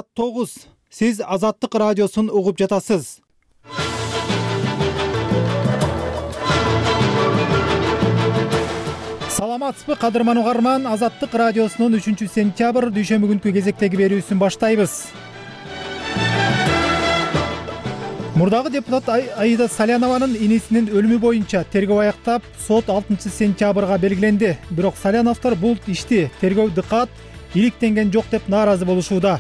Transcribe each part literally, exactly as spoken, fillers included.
тогуз. Сиз Азаттык радиосун угуп жатасыз. Саламатсызбы кадырман угарман, Азаттык радиосунун үчүнчү сентябрь дүйшөмбү күнкү кезектеги берүүсүн баштайбыз. Мурдагы депутат Аида Салянованын инисинин өлүмү боюнча тергөө аяктап, сот алтынчы сентябрга белгиленди. Бирок Саляновдор бул ишти тергөө дыкаат иликтенген жок деп нааразы болушууда.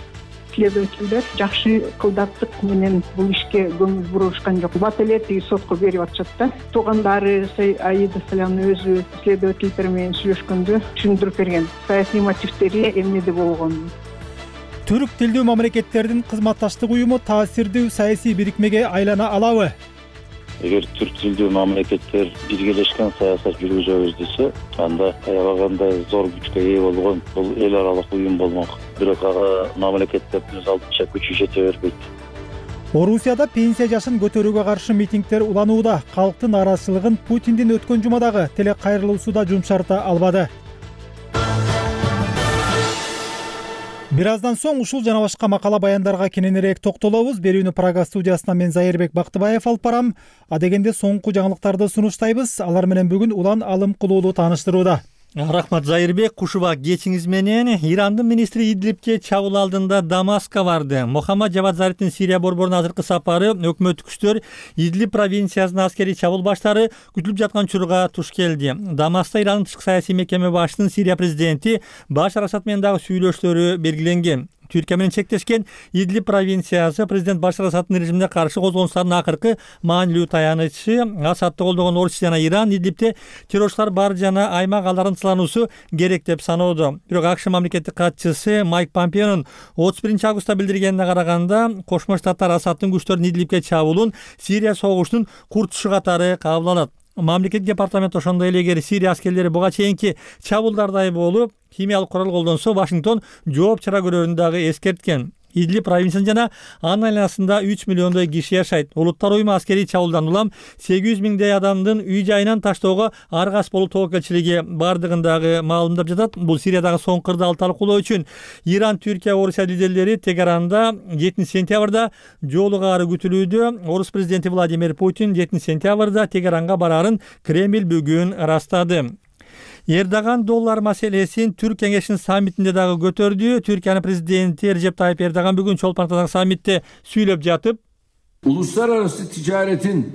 Следовательдер жакшы кылдаттык менен бул ишке көңүл бурушкан жок. Бат эле тиги сотко берип атышат да. Туугандары Аида Салянова өзү следовательдер менен сүйлөшкөндө түшүндүрүп берген. Саясий мотивдери эмнеде болгонун. Түрк тилдүү мамлекеттердин кызматташтык уюму таасирдүү саясий бирикмеге айлана алабы? Эгер түрк тилдүү мамлекеттер биргелешкен саясат жүргүзөбүз десе, анда аябагандай зор күчкө ээ болгон бул эл аралык уюм болмок. Бирок ага мамлекеттердин өз алдынча күчү жете бербейт. Орусияда пенсия жашын көтөрүүгө каршы митингдер уланууда. Калктын нааразычылыгын Путиндин өткөн жумадагы телекайрылуусу да жумшарта албады. Бир аздан соң ушул жана башка макала баяндарга кененирээк токтолобуз. Берүүнү Прага студиясынан мен Зайырбек Бактыбаев алып барам. Адегенде соңку жаңылыктарды сунуштайбыз. Алар менен бүгүн Улан Алым Кулуулу тааныштырууда. Рахмат Зайырбек, кушуба кечиңиз менен. Ирандын министри Идлибке чабуул алдында Дамаска барды. Мохаммад Жавад Зарифтин Сирия борборуна азыркы сапары өкмөттүк күчтөр Идлиб провинциясына аскерий чабуул баштары күтүлүп жаткан учурга туш келди. Дамаста Ирандын тышкы саясий мекеме башчысынын Сирия президенти Башар Асад менен дагы сүйлөштөрү белгиленген. Түркия менен чектешкен Идлиб провинциясы президент Башар Асаддын режимине каршы козгонустардын акыркы маанилүү таянычы. Асадды колдогон Орусия жана Иран Идлибте террорчулар бар жана аймак аларын тылануусу керек деп саноодо. Бирок АКШ мамлекеттик катчысы Майк Помпеонун отуз биринчи августта билдиргенине караганда, Кошмо Штаттар Асаддын күчтөрүнүн Идлибке чабуулун Сирия согушунун куртушу катары кабыл алат. Мамлекет департаменти ошондой эле эгер Сирия аскерлери буга чейинки чабуулдардай болуп, химиялык курал колдонсо, Вашингтон жооп чара көрөрүн дагы эскерткен. Идлиб провинциясында жана анын айланасында үч миллиондой киши жашайт. Улуттар уюму аскерий чабуулдан улам сегиз жүз миңдей адамдын үй жайынан таштоого аргас болуу тобокелчилиги бардыгын дагы маалымдап жатат. Бул Сириядагы соңку кырдаал талкуулоо үчүн Иран, Түркия, Орусия лидерлери Тегеранда жетинчи сентябрда жолугаары күтүлүүдө. Орус президенти Владимир Путин жетинчи сентябрда Тегеранга бараарын Кремль бүгүн ырастады. Эрдоган доллар маселесин Түрк кеңешинин саммитинде дагы көтөрдү. Түркиянын президенти Режеп Тайып Эрдоган бүгүн чолпон атадагы саммитте сүйлөп жатып, uluslararası ticaretin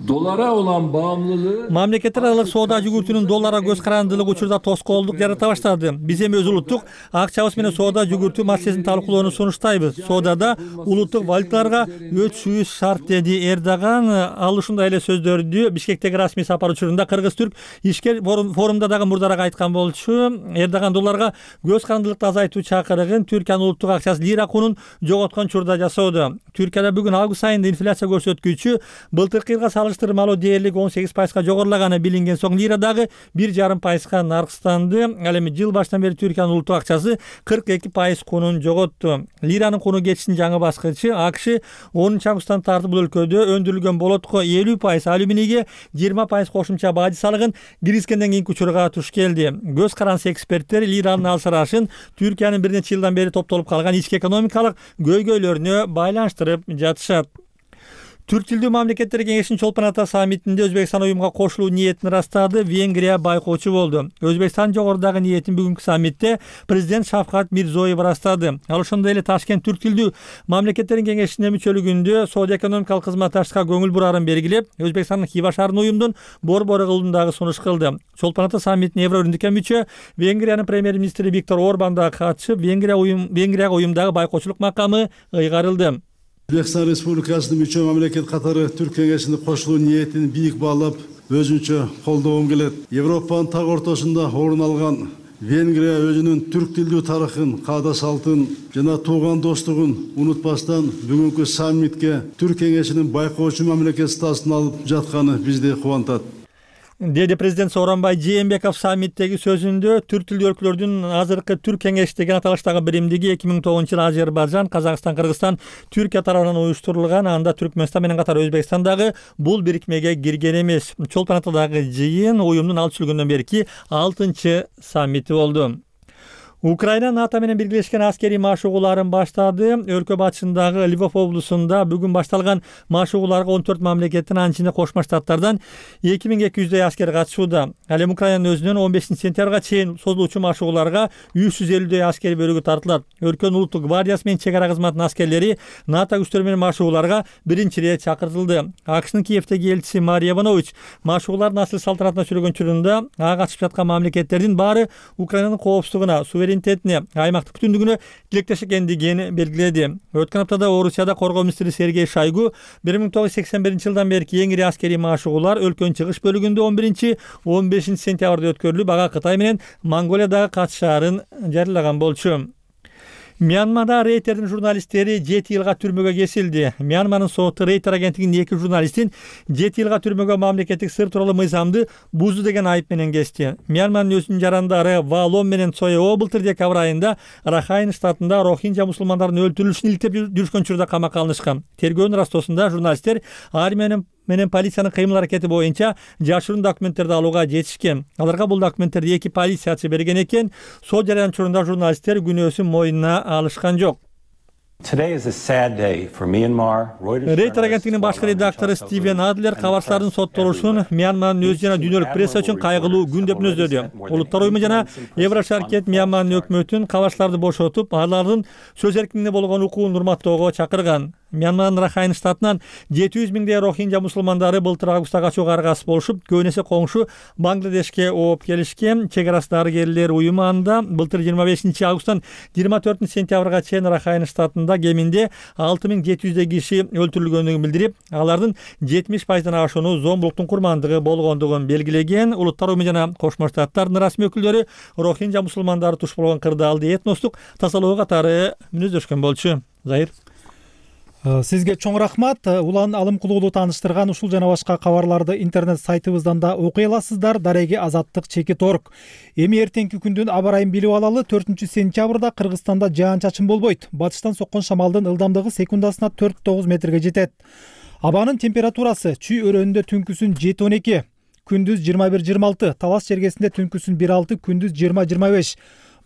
dolara olan bağımlılığı мамлекеттер аралык соода жүгүртүүнүн долларга көз карандылыгы учурда тоскоолдук жарата баштады. Биз эми өз улуттук акчабыз менен соода жүгүртүү маселесин талкуулоону сунуштайбыз. Соодада улуттук валюталарга өтүшүбүз шарт, деди Эрдоган. Ал ушундай эле сөздөрдү Бишкектеги расмий сапар учурунда Кыргыз-Түрк ишкер форумда дагы мурдараак айткан болчу. Эрдоган долларга көз карандылыкты азайтуу чакырыгын Түркиянын улуттук акчасы лира кунун жоготкон учурда жасоодо. Түркияда бүгүн август айында инфляция көрсөткүчү былтыркы жылга салыштырмалуу дээрлик он сегиз пайызга жогорулаганы билинген соң лира дагы бир жарым пайызга наркстанды. Ал эми жыл башынан бери Түркиянын улуттук акчасы кырк эки пайыз кунун жоготту. Лиранын куну кетиштин жаңы баскычы АКШ онунчу августтан тартып бул өлкөдө өндүрүлгөн болотко элүү пайыз, алюминийге жыйырма пайыз кошумча бажы салыгын киргизгенден кийинки учурга туш келди. Көз карансы эксперттер лиранын алсырашын Түркиянын бир нече жылдан бери топтолуп калган ички экономикалык көйгөйлөрүнө байланыштырып жатышат. Түрк тилдүү мамлекеттер кеңешинин чолпон ата саммитинде Өзбекстан уюмга кошулуу ниетин ырастады. Венгрия байкоочу болду. Өзбекстан жогорудагы ниетин бүгүнкү саммитте президент Шавкат Мирзоев ырастады. Ал ошондой эле Ташкент түрк тилдүү мамлекеттердин кеңешине мүчөлүгүндө соода экономикалык кызматташтыкка көңүл бурарын белгилеп, Өзбекстандын Хива шаарынын уюмдун борбору кылуун дагы сунуш кылды. Чолпон ата саммитине Евро өндүккө мүчө Венгриянын премьер-министри Виктор Орбан дагы катышып, Венгрия уюм Венгрияга уюмдагы байкоочулук макамы ыйгарылды. Өзбекстан Республикасынын мүчө мамлекет катары Түрк кеңешине кошулуу ниетин бийик баалап, өзүнчө колдогум келет. Европанын так ортосунда орун алган Венгрия өзүнүн түрк тилдүү тарыхын, каада салтын жана тууган достугун унутпастан бүгүнкү саммитке Түрк кеңешинин байкоочу мамлекет статусун алып жатканы бизди кубантат. деди президент Сооронбай Жээнбеков саммиттеги сөзүндө. Түрк тилдүү өлкөлөрдүн азыркы Түрк кеңеши деген аталыштагы биримдиги эки миң тогузунчу жылы Азербайжан, Казакстан, Кыргызстан, Түркия тарабынан уюштурулган. Анда Түркмөнстан менен катар Өзбекстан дагы бул бирикмеге кирген эмес. Чолпон атадагы жыйын уюмдун алты жүз жылгөндөн берки алтынчы саммити болду. Украина НАТО менен биргелешкен аскерий машыгууларын баштады. Өлкө батышындагы Львов облусунда бүгүн башталган машыгууларга он төрт мамлекеттин, анын ичинде Кошмо Штаттардан эки миң эки жүздөй аскер катышууда. Ал эми Украинанын өзүнөн он бешинчи сентябрга чейин созулуучу машыгууларга үч жүз элүүдөй аскер бөлүгү тартылат. Өлкөнүн улуттук гвардиясы менен чек ара кызматынын аскерлери НАТО күчтөрү менен машыгууларга биринчи ирет чакыртылды. АКШнын Киевдеги элчиси Мария Иванович машыгуулардын асыл салтанатына сүргөн учурунда ага катышып жаткан мамлекеттердин баары Украинанын коопсуздугуна, суверенитетине, аймактык бүтүндүгүнө тилектеш экендигин белгиледи. Өткөн аптада Орусияда коргоо министри Сергей Шойгу бир миң тогуз жүз сексен биринчи жылдан берки эң ири аскерий машыгуулар өлкөнүн чыгыш бөлүгүндө он биринчи он бешинчи сентябрда өткөрүлүп, ага Кытай менен Монголия дагы катышаарын жарыялаган болчу. Мьянмада Рейтердин журналисттери жети жылга түрмөгө кесилди. Мьянманын соту Рейтер агенттигинин эки журналистин жети жылга түрмөгө мамлекеттик сыр тууралуу мыйзамды бузду деген айып менен кести. Мьянманын өзүнүн жарандары Валом менен Соео былтыр декабрь айында Рахайн штатында рохинжа мусулмандардын өлтүрүлүшүн иликтеп жүрүшкөн учурда камакка алынышкан. Тергөөнүн ырастоосунда журналисттер армия менен полициянын кыймыл аракети боюнча жашыруун документтерди алууга жетишкен. Аларга бул документтерди эки полициячы берген экен. Сот жарыян учурунда журналисттер күнөөсүн мойнуна алышкан жок. Рейтер агенттигинин башкы редактору Стивен Адлер кабарчылардын соттолушун Мьянманын өз жана дүйнөлүк пресса үчүн кайгылуу күн деп мүнөздөдү. Улуттар уюму жана Еврошаркет Мьянманын өкмөтүн кабарчыларды бошотуп, алардын сөз эркиндигине болгон укугун урматтоого чакырган. Мьянманын Рахайн штатынан жети жүз миңдей рохинжа мусулмандары былтыр августта качууга аргасыз болушуп, көбүнесе коңшу Бангладешке ооп келишкен. Чек ара дарыгерлер уюму анда былтыр жыйырма бешинчи августтан жыйырма төртүнчү сентябрга чейин Рахайн штатында кеминде алты миң жети жүздөй киши өлтүрүлгөндүгүн билдирип, алардын жетимиш пайыздан ашууну зомбулуктун курмандыгы болгондугун белгилеген. Улуттар уюму жана Кошмо Штаттардын расмий өкүлдөрү рохинжа мусулмандары туш болгон кырдаалды этностук тазалоо катары мүнөздөшкөн болчу. Зайыр. Сизге чоң рахмат. Улан Алымкулуулу тааныштырган ушул жана башка кабарларды интернет сайтыбыздан да окуй аласыздар. Дареги азаттык чекит точка орг. Эми эртеңки күндүн аба ырайын билип алалы. төртүнчү сентябрда Кыргызстанда жаан-чачын болбойт. Батыштан соккон шамалдын ылдамдыгы секундасына төрт тогуз метрге жетет. Абанын температурасы Чүй өрөөнүндө түнкүсүн жети он эки, күндүз жыйырма бир жыйырма алты, Талас чергесинде түнкүсүн бир алты, күндүз жыйырма жыйырма беш.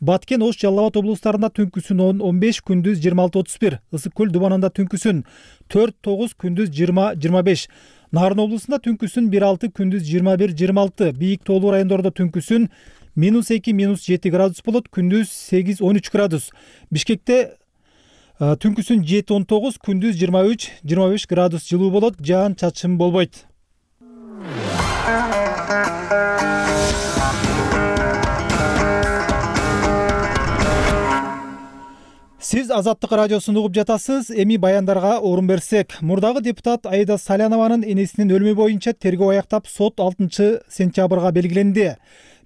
Баткен, Ош, Жалал Абад облустарында түнкүсүн он он беш, күндүз жыйырма алты отуз бир. Ысык көл Дубанында түнкүсүн төрт тогуз, күндүз жыйырма жыйырма беш. Нарын облусунда түнкүсүн бир алты, күндүз жыйырма бир жыйырма алты. Бийик тоолуу райондордо түнкүсүн минус эки, минус жети градус болот, күндүз сегиз он үч градус. Бишкекте түнкүсүн жети он тогуз, күндүз жыйырма үч жыйырма беш градус жылуу болот, жаан-чачын болбойт. Сиз Азаттык радиосун угуп жатасыз. Эми баяндарга орун берсек, мурдагы депутат Аида Салянованын энесинин өлүмү боюнча тергөө аяктап, сот алтынчы сентябрга белгиленди.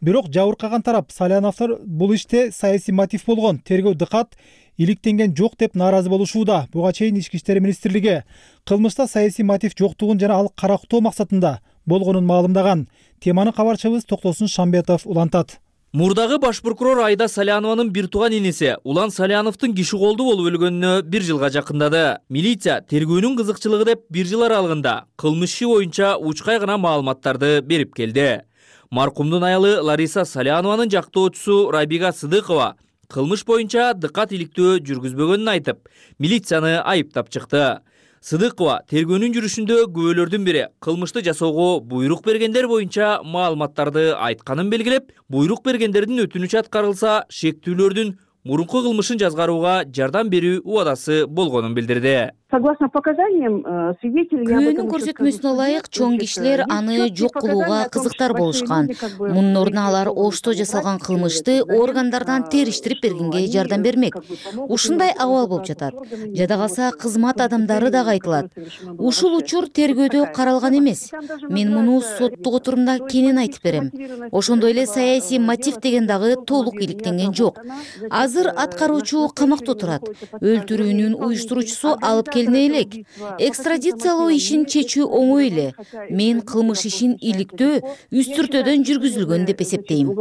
Бирок жабыркаган тарап Саляновдор бул иште саясий мотив болгон, тергөө дыкат иликтенген жок деп нааразы болушууда. Буга чейин Ички иштер министрлиги кылмышта саясий мотив жоктугун жана ал карактоо максатында болгонун маалымдаган. Теманы кабарчыбыз Токтосун Шамбетов улантат. Мурдагы баш прокурор Аида Салянованын бир тууган энеси Улан Саляновдун киши колду болуп өлгөнүнө бир жылга жакындады. Милиция тергөөнүн кызыкчылыгы деп бир жыл аралыгында кылмыш иши боюнча учкай гана маалыматтарды берип келди. Маркумдун аялы Лариса Салянованын жактоочусу Рабига Сыдыкова кылмыш боюнча дыкат иликтөө жүргүзбөгөнүн айтып, милицияны айыптап чыкты. Сыдыкова тергөөнүн жүрүшүндө күбөлөрдүн бири кылмышты жасоого буйрук бергендер боюнча маалыматтарды айтканын белгилеп, буйрук бергендердин өтүнүчү аткарылса, шектүүлөрдүн мурунку кылмышын жазгарууга жардам берүү убадасы болгонун билдирди. Согласно показаниям свидетелей, күбөнүн көрсөтмөсүнө ылайык чоң кишилер аны жок кылууга кызыктар болушкан. Мунун ордуна алар Ошто жасалган кылмышты органдардан териштирип бергенге жардам бермек. Ушундай абал болуп жатат. Жада калса кызмат адамдары дагы айтылат. Ушул учур тергөөдө каралган эмес. Мен муну соттук отурумда кенен айтып берем. Ошондой эле саясий мотив деген дагы толук иликтенген жок. Азыр аткаруучу камакта отурат. Өлтүрүүнүн уюштуруучусу алып келине элек. Экстрадициялоо ишин чечүү оңой эле. Мен кылмыш ишин иликтөө үстүртөдөн жүргүзүлгөн деп эсептейм.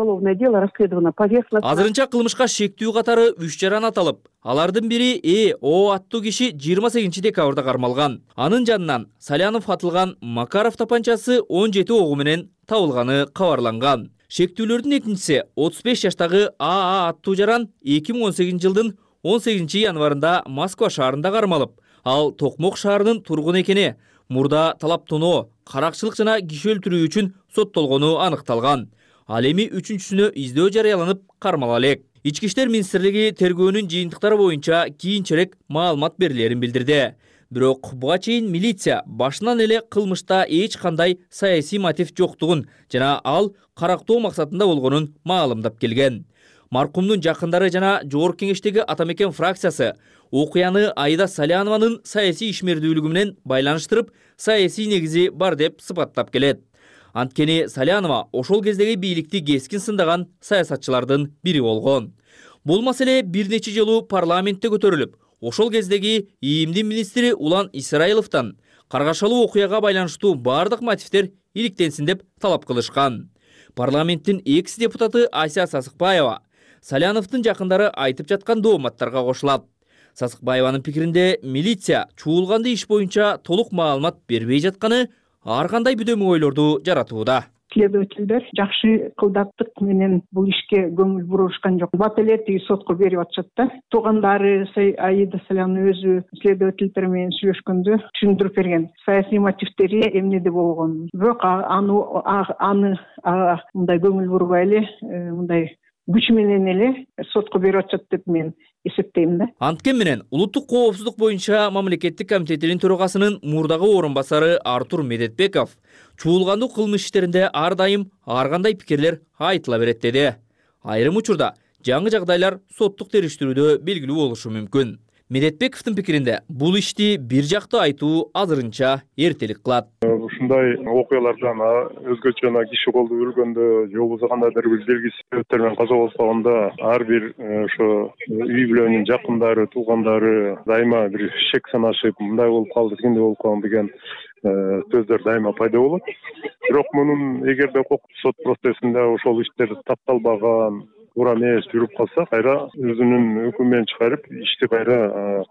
Азырынча кылмышка шектүү катары үч жаран аталып, алардын бири Э О аттуу киши жыйырма сегизинчи декабрда кармалган. Анын жанынан Салянов атылган Макаров тапанчасы он жети огу менен табылганы кабарланган. Шектүүлөрдүн экинчиси отуз беш жаштагы АА аттуу жаран эки миң он сегизинчи жылдын он сегизинчи январында Москва шаарында кармалып, ал Токмок шаарынын тургуну экени, мурда талап тоноо, каракчылык жана киши өлтүрүү үчүн соттолгону аныкталган. Ал эми үчүнчүсүнө издөө жарыяланып кармала элек. Ички иштер министрлиги тергөөнүн жыйынтыктары боюнча кийинчерээк маалымат берилерин билдирди. Бирок буга чейин милиция башынан эле кылмышта эч кандай саясий мотив жоктугун жана ал карактоо максатында болгонун маалымдап келген. Маркумдун жакындары жана Жогорку Кеңештеги Атамекен фракциясы окуяны Аида Салянованын саясий ишмердүүлүгү менен байланыштырып, саясий негизи бар деп сыпаттап келет. Анткени Салянова ошол кездеги бийликти кескин сындаган саясатчылардын бири болгон. Бул маселе бир нече жолу парламентте көтөрүлүп, ошол кездеги ИИМдин министри Улан Исраиловдон каргашалуу окуяга байланыштуу бардык мотивдер иликтенсин деп талап кылышкан. Парламенттин экс депутаты Ася Сасыкбаева Саляновдун жакындары айтып жаткан дооматтарга кошулат. Сасыкбаеванын пикиринде милиция чуулганды иш боюнча толук маалымат бербей жатканы ар кандай бүдөмө ойлорду жаратууда. Следовательдер жакшы кылдаттык менен бул ишке көңүл бурушкан жок. Бат эле тиги сотко берип атышат да. Туугандары Аида Салянова өзү следовательдер менен сүйлөшкөндө түшүндүрүп берген. Саясий мотивдери эмнеде болгон. Бирок аны аны мындай көңүл бурбай эле, мындай күч менен эле сотко берип атышат деп мен эсептейм да. Анткени менен улуттук коопсуздук боюнча мамлекеттик комитетинин төрагасынын мурдагы орун басары Артур Медетбеков чуулгандуу кылмыш иштеринде ар дайым ар кандай пикирлер айтыла берет деди. Айрым учурда жаңы жагдайлар соттук териштирүүдө белгилүү болушу мүмкүн. Медетбековдун пикиринде бул ишти бир жакты айтуу азырынча эртелик кылат. Ушундай окуялардан өзгөчө киши колду өлгөндө же болбосо кандайдыр бир белгисиз себептер менен каза болсогондо ар бир ошо үй бүлөнүн жакындары, туугандары дайыма бир шек санашып, мындай болуп калды, тигиндей болуп калды деген сөздөр дайыма пайда болот. Бирок мунун эгерде сот процессинде ошол иштер тапталбаган, туура эмес жүрүп калса, кайра өзүнүн өкүмүн чыгарып, ишти кайра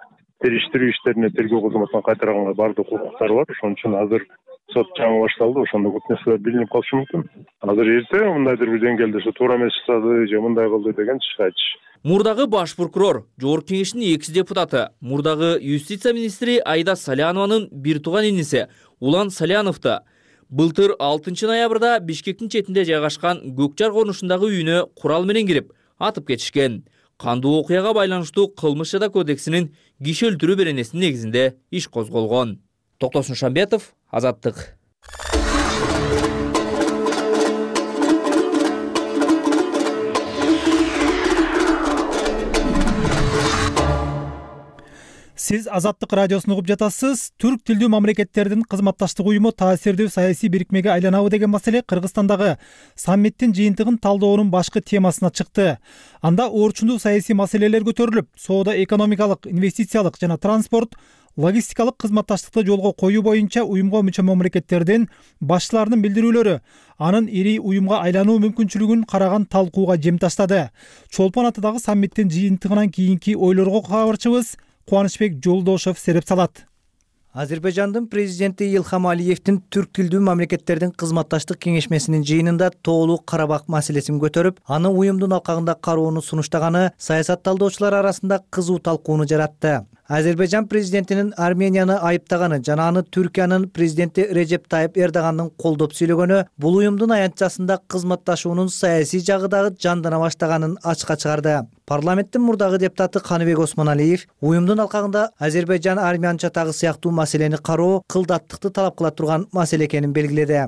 териштирүү иштерине тергөө кызматына кайтарганга бардык укуктары бар. Ошон үчүн азыр сот жаңы башталды, ошондо көп нерселер билинип калышы мүмкүн. Азыр эрте мындайдыр бир деңгээлде ошо туура эмес жасады же мындай кылды деген айтыш. Мурдагы баш прокурор, Жогорку Кеңештин экс депутаты, мурдагы юстиция министри Аида Салянованын бир тууган иниси Улан Саляновду былтыр алтынчы ноябрда Бишкектин четинде жайгашкан Көкжар конушундагы үйүнө курал менен кирип, атып кетишкен. Кандуу окуяга байланыштуу кылмыш жада кодексинин киши өлтүрүү беренесинин негизинде иш козголгон. Токтосун Шамбетов, Азаттык. Сиз Азаттык радиосун угуп жатасыз. Түрк тилдүү мамлекеттердин кызматташтык уюму таасирдүү саясий бирикмеге айланабы деген маселе Кыргызстандагы саммиттин жыйынтыгын талдоонун башкы темасына чыкты. Анда орчундуу саясий маселелер көтөрүлүп, соода экономикалык, инвестициялык жана транспорт, логистикалык кызматташтыкты жолго коюу боюнча уюмга мүчө мамлекеттердин башчыларынын билдирүүлөрү анын ири уюмга айлануу мүмкүнчүлүгүн караган талкууга жем таштады. Чолпон атадагы саммиттин жыйынтыгынан кийинки ойлорго кабарчыбыз Кубанычбек Жолдошов сереп салат. Азербайжандын президенти Илхам Алиевдин түрк тилдүү мамлекеттердин кызматташтык кеңешмесинин жыйынында тоолуу Карабак маселесин көтөрүп, аны уюмдун алкагында кароону сунуштаганы саясат талдоочулар арасында кызуу талкууну жаратты. Азербайжан президентинин Арменияны айыптаганы жана аны Түркиянын президенти Режеп Тайып Эрдогандын колдоп сүйлөгөнү бул уюмдун аянтчасында кызматташуунун саясий жагы дагы жандана баштаганын ачыкка чыгарды. Парламенттин мурдагы депутаты Каныбек Осмоналиев уюмдун алкагында Азербайжан армянча тагы сыяктуу маселени кароо кылдаттыкты талап кыла турган маселе экенин белгиледи.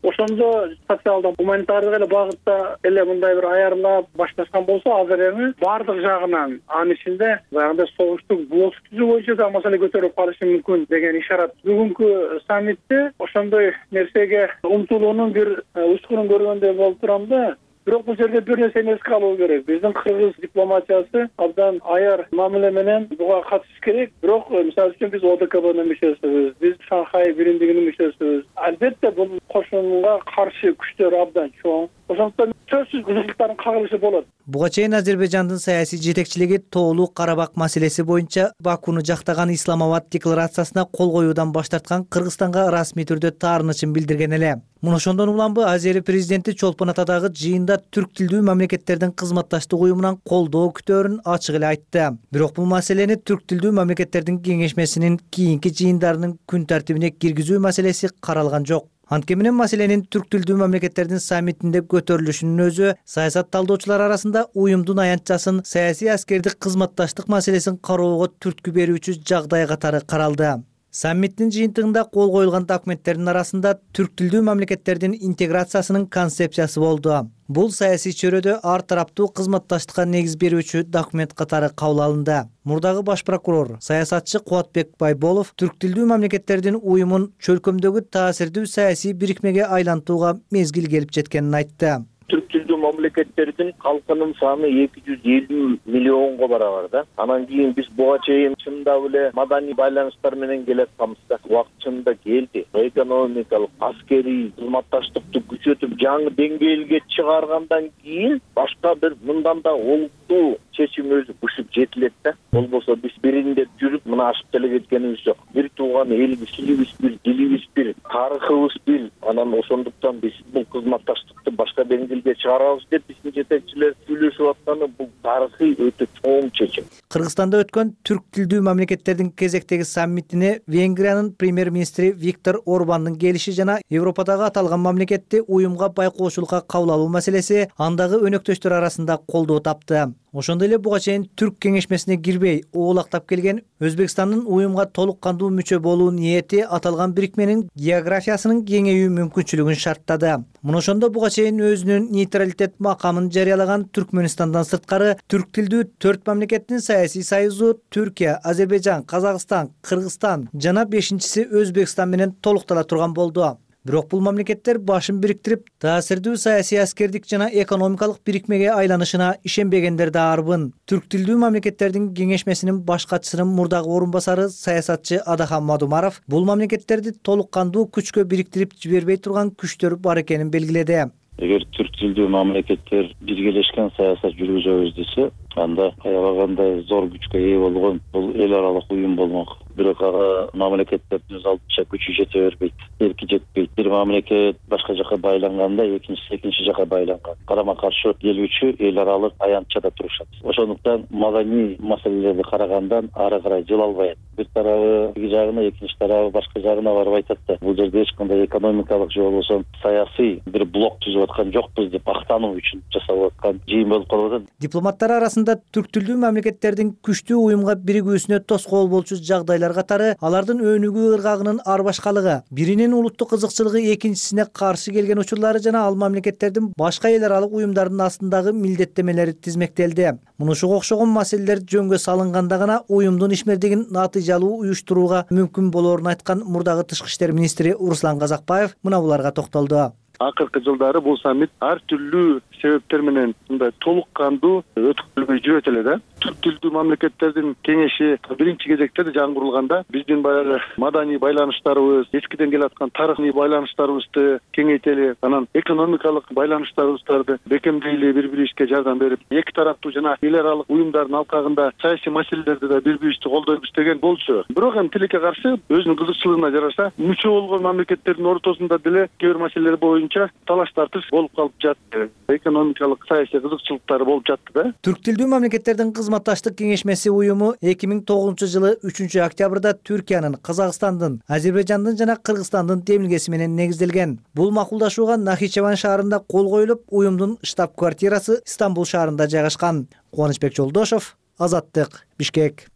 Ошондо социалдык гуманитардык эле багытта эле мындай бир аярлап башташкан болсо, азыр эми бардык жагынан анын ичинде баягындай согуштук блок түзүү боюнча да маселе көтөрүп калышы мүмкүн деген ишарат. Бүгүнкү саммитте ошондой нерсеге умтулуунун бир учкунун көргөндөй болуп турам да. Бирок бул жерде бир нерсени эске алуу керек. Биздин кыргыз дипломатиясы абдан аяр мамиле менен буга катышыш керек. Бирок мисалы үчүн биз О Д К Б'нын мүчөсүбүз, биз Шанхай биримдигинин мүчөсүбүз. Албетте бул кошунга каршы күчтөр абдан чоң. Ошондуктан сөзсүз кызыкчылыктардын кагылышы болот. Буга чейин Азербайжандын саясий жетекчилиги тоолуу Карабак маселеси боюнча Бакуну жактаган Исламабад декларациясына кол коюудан баш тарткан Кыргызстанга расмий түрдө таарынычын билдирген эле. Муну ошондон уланбы Азия президенти Чолпон Атадагы жыйында түрк тилдүү мамлекеттердин кызматташтык уюмунан колдоо күтөөрүн ачык эле айтты. Бирок бул маселени түрк тилдүү мамлекеттердин кеңешмесинин кийинки жыйындарынын күн тартибине киргизүү маселеси каралган жок. Анткени менен маселенин түрк тилдүү мамлекеттердин саммитинде көтөрүлүшүнүн өзү саясат талдоочулар арасында уюмдун аянтчасын саясий аскердик кызматташтык маселесин кароого түрткү берүүчү жагдай катары каралды. Саммиттин жыйынтыгында кол коюлган документтердин арасында түрк тилдүү мамлекеттердин интеграциясынын концепциясы болду. Бул саясий чөйрөдө ар тараптуу кызматташтыкка негиз берүүчү документ катары кабыл алынды. Мурдагы баш прокурор, саясатчы Кубатбек Байболов түрк тилдүү мамлекеттердин уюмун чөлкөмдөгү таасирдүү саясий бирикмеге айлантууга мезгил келип жеткенин айтты. Түрк тилдүү мамлекеттердин калкынын саны эки жүз элүү миллионго барабар да. Анан кийин биз буга чейин чындап эле маданий байланыштар менен келатканбыз да. Убактында келди. Экономикалык, аскерий кызматташтыкты күчөтүп жаңы деңгээлге чыгаргандан кийин башка бир мындан да олуттуу чечим өзү бушуп жетилет да. Болбосо биз биринде жүрүп мына ашып деле кеткенибиз жок. Бир тууган элибиз, тилибиз бир, дилибиз бир, тарыхыбыз бир. Анан ошондуктан биз бул кызматташтыкты башка деңгээлге чыгарабыз деп биздин жетекчилер сүйлөшүп атканы бул тарыхый өтө чоң чечим. Кыргызстанда өткөн түрк тилдүү мамлекеттердин кезектеги саммитине Венгриянын премьер-министри Виктор Орбандын келиши жана Европадагы аталган мамлекетти уюмга байкоочулукка кабыл алуу маселеси андагы өнөктөштөр арасында колдоо тапты. Ошондой эле буга чейин түрк кеңешмесине кирбей оолактап келген Өзбекстандын уюмга толук кандуу мүчө болуу ниети аталган бирикменин географиясынын кеңейүү мүмкүнчүлүгүн шарттады. Муну ошондо буга чейин өзүнүн нейтралитет макамын жарыялаган Түркмөнстандан сырткары түрк тилдүү төрт мамлекеттин саясий союзу Түркия, Азербайжан, Казакстан, Кыргызстан жана бешинчиси Өзбекстан менен толуктала турган болду. Бирок бул мамлекеттер башын бириктирип, таасирдүү саясий аскердик жана экономикалык бирикмеге айланышына ишенбегендер да арбын. Түрк тилдүү мамлекеттердин кеңешмесинин баш катчысынын мурдагы орун басары саясатчы Адахан Мадумаров бул мамлекеттерди толук кандуу күчкө бириктирип жибербей турган күчтөр бар экенин белгиледи. Эгер түрк тилдүү мамлекеттер биргелешкен саясат жүргүзөбүз десе, анда аябагандай зор күчкө ээ болгон бул эл аралык уюм болмок. Бирок ага мамлекеттердин өз алдынча күчү жете бербейт, эрки жетпейт. Бир мамлекет башка жака байланганда, экинчиси экинчи жака байланган. Карама каршы келүүчү эл аралык аянтчада турушат. Ошондуктан маданий маселелерди карагандан ары карай жыла албайт. Бир тарабы бир жагына, экинчи тарабы башка жагына барып айтат да. Бул жерде эч кандай экономикалык же болбосо саясий бир блок түзүп аткан жокпуз деп актануу үчүн жасалып аткан жыйын болуп калып атат. Дипломаттар арасында түрк тилдүү мамлекеттердин күчтүү уюмга биригүүсүнө тоскоол болчу жагдайлар катары алардын өнүгүү ыргагынын ар башкалыгы, биринин улуттук кызыкчылыгы экинчисине каршы келген учурлары жана ал мамлекеттердин башка эл аралык уюмдардын астындагы милдеттемелери тизмектелди. Мунушуга окшогон маселелер жөнгө салынганда гана уюмдун ишмердигин натыйжалуу уюштурууга мүмкүн болоорун айткан мурдагы тышкы иштер министри Руслан Казакбаев мына буларга токтолду. Акыркы жылдары бул саммит ар түрлүү себептер менен мындай толук кандуу өткөрүлбөй жүрөт эле да. Түрк тилдүү мамлекеттердин кеңеши биринчи кезекте жаңгырылганда биздин баягы маданий байланыштарыбыз, эскиден келаткан тарыхый байланыштарыбызды кеңейтели, анан экономикалык байланыштарыбызды бекемдейли, бири бирибизге жардам берип, эки тараптуу жана эл аралык уюмдардын алкагында саясий маселелерди да бири бирибизди колдойбуз деген болчу. Бирок эми тилекке каршы өзүнүн кызыкчылыгына жараша мүчө болгон мамлекеттердин ортосунда деле кээ бир маселелер боюнча талаш тартыш болуп калып жатты. Экономикалык саясий кызыкчылыктары болуп жатты да. Түрк тилдүү мамлекеттердин кызматташтык кеңешмеси уюму эки миң тогузунчу жылы үчүнчү октябрда Түркиянын, Казакстандын, Азербайжандын жана Кыргызстандын демилгеси менен негизделген. Бул макулдашууга Нахичеван шаарында кол коюлуп, уюмдун штаб-квартирасы Стамбул шаарында жайгашкан. Кубанычбек Жолдошов, Азаттык, Бишкек.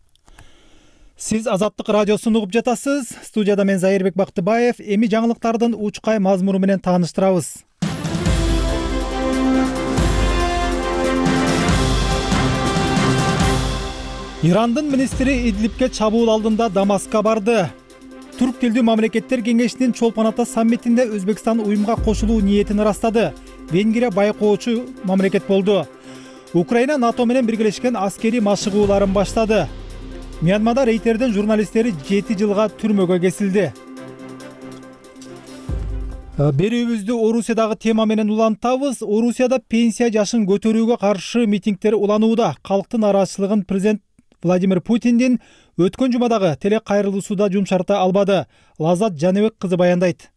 Сиз Азаттык радиосун угуп жатасыз. Студияда мен Зайырбек Бактыбаев. Эми жаңылыктардын учкай мазмуну менен тааныштырабыз. Ирандын министри Идлибке чабуул алдында Дамаска барды. Түрк тилдүү мамлекеттер кеңешинин Чолпон Ата саммитинде Өзбекстан уюмга кошулуу ниетин ырастады. Венгрия байкоочу мамлекет болду. Украина НАТО менен биргелешкен аскерий машыгууларын баштады. Мьянмада рейтердин журналисттери жети жылга түрмөгө кесилди. Берүүбүздү Орусиядагы тема менен улантабыз. Орусияда пенсия жашын көтөрүүгө каршы митингдер уланууда. Калктын нараачылыгын президент Владимир Путиндин өткөн жумадагы телекайрылуусуда жумшарта албады. Лаззат Жаныбек кызы баяндайт.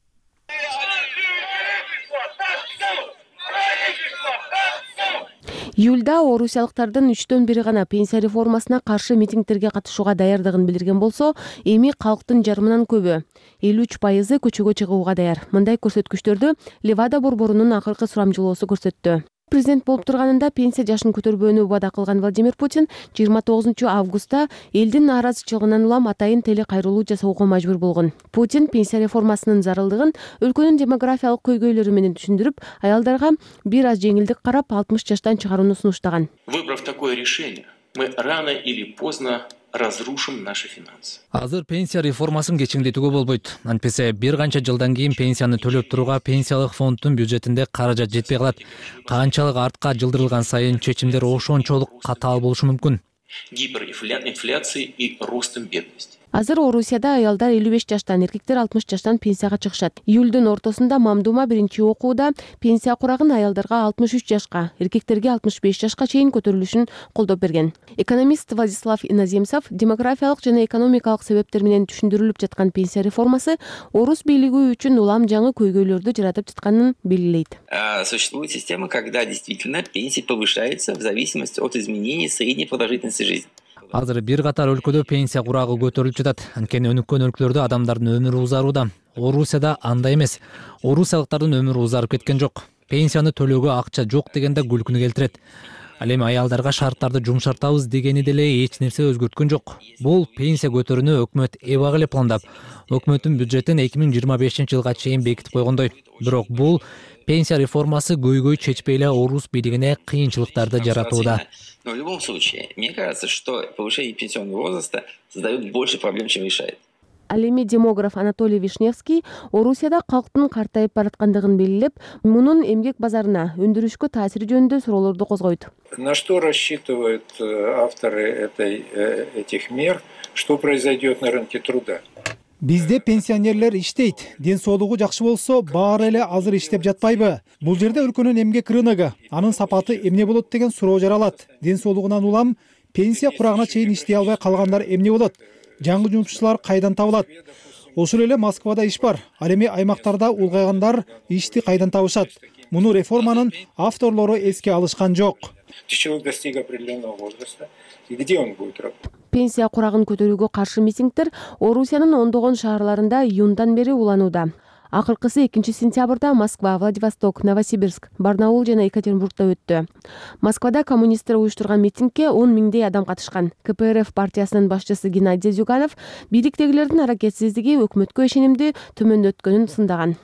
Июлда орусиялыктардын үчтөн бири гана пенсия реформасына каршы митингдерге катышууга даярдыгын билдирген болсо, эми калктын жарымынан көбү элүү үч пайызы көчөгө чыгууга даяр. Мындай көрсөткүчтөрдү Левада борборунун акыркы сурамжылоосу көрсөттү. Президент болуп турганында пенсия жашын көтөрбөөнү убада кылган Владимир Путин жыйырма тогузунчу августта элдин нааразычылыгынан улам атайын теле кайрылуу жасоого мажбур болгон. Путин пенсия реформасынын зарылдыгын өлкөнүн демографиялык көйгөйлөрү менен түшүндүрүп, аялдарга бир аз жеңилдик карап алтымыш жаштан чыгарууну сунуштаган. Выбрав такое решение, мы рано или поздно разрушим наши финансы. Азыр пенсия реформасын кечиңдетүүгө болбойт. Антпесе бир канча жылдан кийин пенсияны төлөп турууга пенсиялык фонддун бюджетинде каражат жетпей калат. Канчалык артка жылдырылган сайын чечимдер ошончолук катаал болушу мүмкүн. Гиперинфляцией и ростом бедности. Азыр Орусияда аялдар элүү беш жаштан, эркектер алтымыш жаштан пенсияга чыгышат. Июлдун ортосунда Мамдума биринчи окууда пенсия курагын аялдарга алтымыш үч жашка, эркектерге алтымыш беш жашка чейин көтөрүлүшүн колдоп берген. Экономист Владислав Иноземцев демографиялык жана экономикалык себептер менен түшүндүрүлүп жаткан пенсия реформасы орус бийлиги үчүн улам жаңы көйгөйлөрдү жаратып жатканын белгилейт. Существует система, когда действительно пенсия повышается в зависимости от изменений средней продолжительности жизни. Азыр бир катар өлкөдө пенсия курагы көтөрүлүп жатат. Анткени өнүккөн өлкөлөрдө адамдардын өмүрү узарууда. Орусияда андай эмес. Орусиялыктардын өмүрү узарып кеткен жок. Пенсияны төлөөгө акча жок дегенде күлкүнү келтирет. Ал эми аялдарга шарттарды жумшартабыз дегени деле эч нерсе өзгөрткөн жок. Бул пенсия көтөрүүнү өкмөт эбак эле пландап, өкмөттүн бюджетин эки миң жыйырма бешинчи жылга чейин бекитип койгондой. Бирок бул пенсия реформасы көйгөй чечпей эле орус бийлигине кыйынчылыктарды жаратууда. Но в любом случае, мне кажется, что повышение пенсионного возраста создает больше проблем, чем решает. Ал эми демограф Анатолий Вишневский Орусияда калктын картайып бараткандыгын белгилеп, мунун эмгек базарына, өндүрүшкө таасири жөнүндө суроолорду козгойт. На что рассчитывают авторы этой, этих мер, что произойдет на рынке труда? Бизде пенсионерлер иштейт, ден соолугу жакшы болсо, баары эле азыр иштеп жатпайбы? Бул жерде өлкөнүн эмгек рыногу, анын сапаты эмне болот деген суроо жаралат. Ден соолугунан улам пенсия курагына чейин иштей албай калгандар эмне болот? Жаңы жумушчулар кайдан табылат? Ошол эле Москвада иш бар. Ал эми аймактарда улгайгандар ишти кайдан табышат? Муну реформанын авторлору эске алышкан жок. Человек достиг определенного возраста, и где он будет работать? Пенсия курагын көтөрүүгө каршы митингдер Орусиянын ондогон шаарларында июндан бери уланууда. Акыркысы экинчи сентябрда Москва, Владивосток, Новосибирск, Барнаул жана Екатеринбургда өттү. Москвада коммунисттер уюштурган митингге он миңдей адам катышкан. ка пэ эр эф партиясынын башчысы Геннадий Зюганов бийликтегилердин аракетсиздиги өкмөткө ишенимди төмөндөткөнүн сындаган.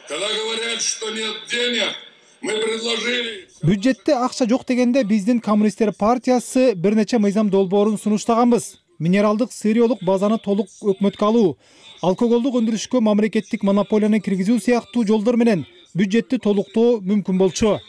Когда говорят, что нет денег, мы предложили. Бюджетте акча жок дегенде биздин коммунисттер партиясы бир нече мыйзам долбоорун сунуштаганбыз. Минералдык сыриолук базаны толук өкмөткө алуу, алкоголдук өндүрүшкө мамлекеттик монополияны киргизүү сыяктуу жолдор менен бюджетти толуктоо мүмкүн болчу.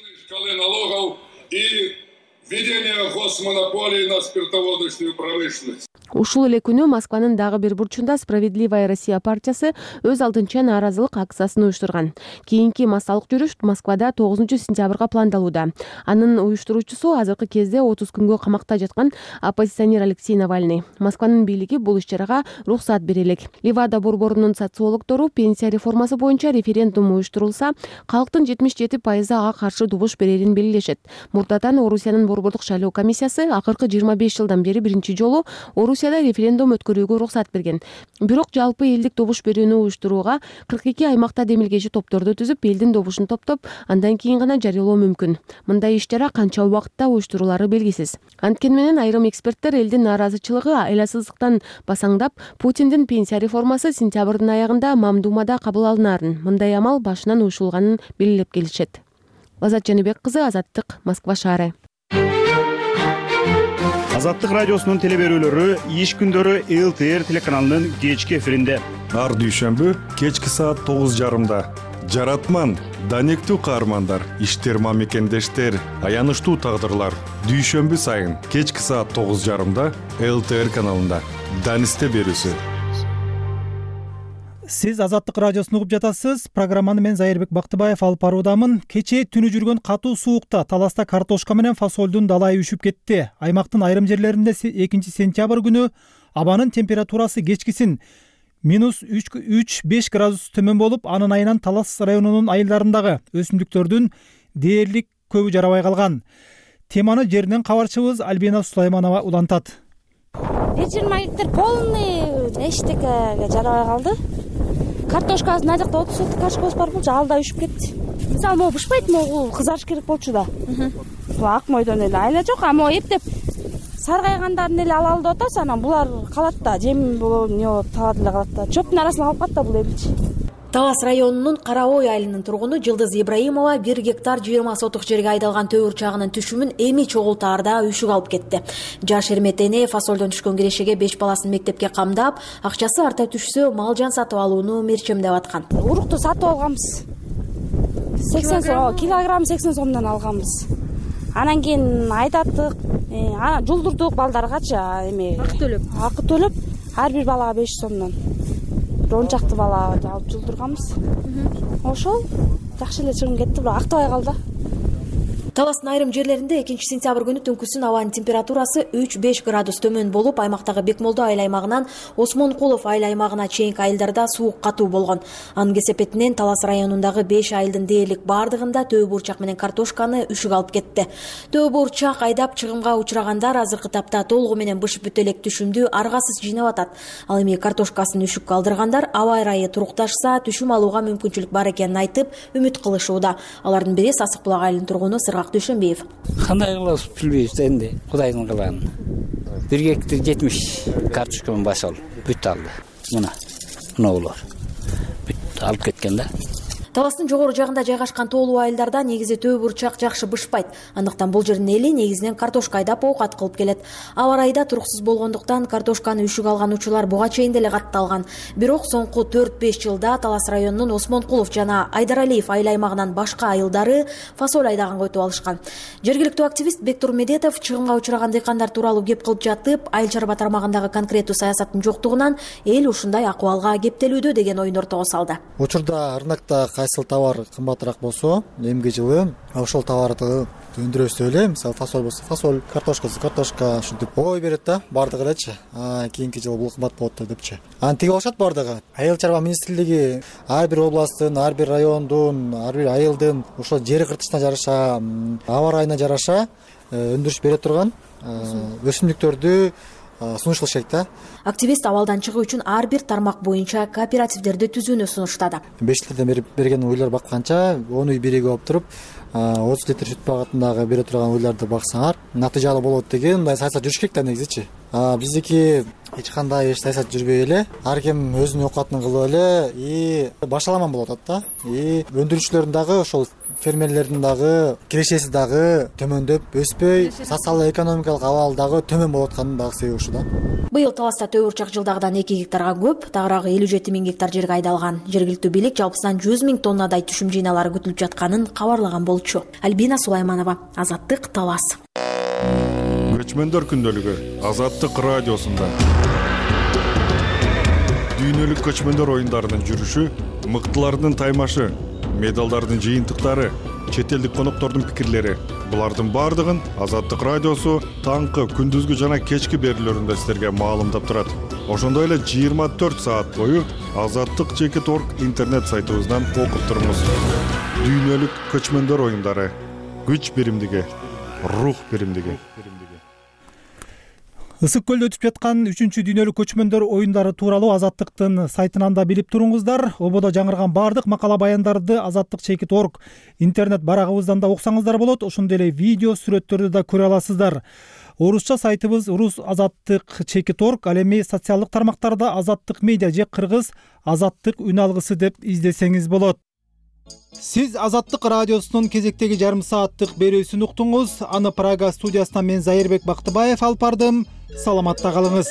Введение госмонополии на спиртоводочную промышленность. Ушул эле күнү Москванын дагы бир бурчунда Справедливая Россия партиясы өз алдынча нааразылык акциясын уюштурган. Кийинки массалык жүрүш Москвада тогузунчу сентябрга пландалууда. Анын уюштуруучусу азыркы кезде отуз күнгө камакта жаткан оппозиционер Алексей Навальный. Москванын бийлиги бул иш-чарага уруксат бере элек. Левада борборунун социологдору пенсия реформасы боюнча референдум уюштурулса, калктын жетимиш жети пайызы ага каршы добуш берерин белгилешет. Мурдатан Орусиянын борбордук шайлоо комиссиясы акыркы жыйырма беш жылдан бери биринчи жолу Орусияда референдум өткөрүүгө уруксат берген. Бирок жалпы элдик добуш берүүнү уюштурууга кырк эки аймакта демилгечи топторду түзүп, элдин добушун топтоп, андан кийин гана жарыялоо мүмкүн. Мындай иш-чара канча убакытта уюштурулары белгисиз. Анткени менен айрым эксперттер элдин нааразычылыгы айласыздыктан басаңдап, Путиндин пенсия реформасы сентябрдын аягында Мамдумада кабыл алынаарын, мындай амал башынан уюшулганын белгилеп келишет. Азат Жаныбек кызы, Азаттык, Москва шаары. Азаттык радиосунун телеберүүлөрү иш күндөрү эл тэ эр телеканалынын кечки эфиринде. Ар дүйшөмбү кечки саат тогуз жарымда. Жаратман, данектүү каармандар, иштер мамекендештер, аянычтуу тагдырлар. Дүйшөмбү сайын кечки саат тогуз жарымда эл тэ эр каналында. Данисте берүүсү. Сиз Азаттык радиосун угуп жатасыз. Программаны мен Зайырбек Бактыбаев алып баруудамын. Кечээ түнү жүргөн катуу суукта таласта картошка менен фасолдун далайы үшүп кетти. Аймактын айрым жерлеринде экинчи сентябрь күнү абанын температурасы кечкисин минус үч беш градус төмөн болуп, анын айынан Талас районунун айылдарындагы өсүмдүктөрдүн дээрлик көбү жарабай калган. Теманы жеринен кабарчыбыз Альбина Сулайманова улантат. беш жыйырма гектар полный эчтекеге жарабай калды. Картошкасы мына жакта отуз соток картошкабыз бар болчу, ал да үшүп кетти. Мисалы могу бышпайт, могу кызарыш керек болчу да. Бул ак мойдон эле айла жок, а могу эптеп саргайгандарын эле алалы деп атабыз, анан булар калат да, жем болобу, эмне болот, талап эле калат да. Чөптүн арасына калып калат да бул эбилчи. Талас районунун Кара Ой айылынын тургуну Жылдыз Ибраимова бир гектар жыйырма соток жерге айдалган төө урчагынын түшүмүн эми чогултаарда үшүк алып кетти. Жаш эрмет эне фасолдон түшкөн кирешеге беш баласын мектепке камдап, акчасы арта түшсө мал жан сатып алууну мерчемдеп аткан. Урукту сатып алганбыз. сексен сом, килограмм сексен сомдон алганбыз. Анан кийин айдаттык, анан жулдурдук балдаргачы, эми акы төлөп, акы төлөп, ар бир балага беш сомдон. он чакты бала алып жулдурганбыз. Ошол жакшы эле чыгым кетти, бирок актабай калды. Таластын айрым жерлеринде экинчи сентябрь күнү түнкүсүн абанын температурасы үч беш градус төмөн болуп, аймактагы Бекмолдо айыл аймагынан Осмонкулов айыл аймагына чейинки айылдарда суук катуу болгон. Анын кесепетинен Талас районундагы беш айылдын дээрлик бардыгында төө бурчак менен картошканы үшүк алып кетти. Төө бурчак айдап чыгымга учурагандар азыркы тапта толугу менен бышып бүтө элек түшүмдү аргасыз жыйнап атат. Ал эми картошкасын үшүккө алдыргандар аба ырайы турукташса, түшүм алууга мүмкүнчүлүк бар экенин айтып, үмүт кылышууда. Алардын бири Сасык булак айылынын тургуну Сыргак Дүйшөнбиев. Кандай кылабыз билбейбиз энди, Кудайдын кылаганы. бир гектар жетимиш картошкамын басып бүт алды. Мына, мына булар. Бүт алып кеткен да. Таластын жогору жагында жайгашкан тоолуу айылдарда негизи төө бурчак жакшы бышпайт. Андыктан бул жердин эли негизинен картошка айдап оокат кылып келет. Аба ырайда туруксуз болгондуктан картошканы үшүк алган учурлар буга чейин деле катталган. Бирок соңку төрт беш жылда Талас районунун Осмонкулов жана Айдаралиев айыл аймагынан башка айылдары фасоль айдаганга өтүп алышкан. Жергиликтүү активист Бектур Медетов чыгымга учураган дыйкандар тууралуу кеп кылып жатып, айыл чарба тармагындагы конкреттүү саясаттын жоктугунан эл ушундай акыбалга кептелүүдө деген оюн ортого салды. Учурда рынокто кайсыл товар кымбатыраак болсо, эмки жылы ошол товарды өндүрөбүз эле, мисалы фасоль болсо фасоль, картошкасы картошка ушинтип ой берет да, бардыгы элечи. А кийинки жылы бул кымбат болот депчи. Аны тиги алышат бардыгы. Айыл чарба министрлиги ар бир областтын, ар бир райондун, ар бир айылдын ошол жер кыртышына жараша, аба ырайына жараша өндүрүш бере турган өсүмдүктөрдү сунуш кылышат да. Активист абалдан чыгуу үчүн ар бир тармак боюнча кооперативдерди түзүүнү сунуштады. беш жылдан берген уйлар бакканча он үй биригип алып туруп, отуз литр сүт багатындагы бере турган уйларды баксаңар, натыйжалуу болот деген мындай саясат жүрүш керек да негизичи. Биздики эч кандай эч саясат жүрбөй эле, ар ким өзүнүн оокатын кылып эле и башаламан болуп атат да. И өндүрүүчүлөрдүн дагы ошол фермерлердин дагы кирешеси дагы төмөндөп өспөй, социалдык экономикалык абал дагы төмөн болуп атканын дагы себеби ушу да. Быйыл Таласта төө бурчак жылдагыдан эки гектарга көп, тагыраагы элүү жети миң гектар жерге айдалган. Жергиликтүү бийлик жалпысынан жүз миң тоннадай түшүм жыйналары күтүлүп жатканын кабарлаган болчу. Альбина Сулайманова, Азаттык, Талас. Көчмөндөр күндөлүгү Азаттык радиосунда. Дүйнөлүк көчмөндөр оюндарынын жүрүшү, мыктылардын таймашы, медалдардын жыйынтыктары, чет элдик коноктордун пикирлери. Булардын бардыгын Азаттык радиосу таңкы, күндүзгү жана кечки берүүлөрүндө силерге маалымдап турат. Ошондой эле жыйырма төрт саат бою азаттык чекит точка орг интернет сайтыбыздан окуп туруңуз. Дүйнөлүк көчмөндөр оюндары, күч биримдиги, рух биримдиги. Ысык көлдө өтүп жаткан үчүнчү дүйнөлүк көчмөндөр оюндары тууралуу Азаттыктын сайтынан да билип туруңуздар. Ободо жаңырган бардык макала баяндарды азаттык чекит точка орг интернет барагыбыздан да уксаңыздар болот. Ошондой эле видео сүрөттөрдү да көрө аласыздар. Орусча сайтыбыз Рус азаттык чекит точка орг, ал эми социалдык тармактарда Азаттык медиа же кыргыз Азаттык үн алгысы деп издесеңиз болот. Сиз Азаттык радиосунун кезектеги жарым сааттык берүүсүн уктуңуз. Аны Прага студиясынан мен Зайырбек Бактыбаев алып бардым. Саламатта калыңыз.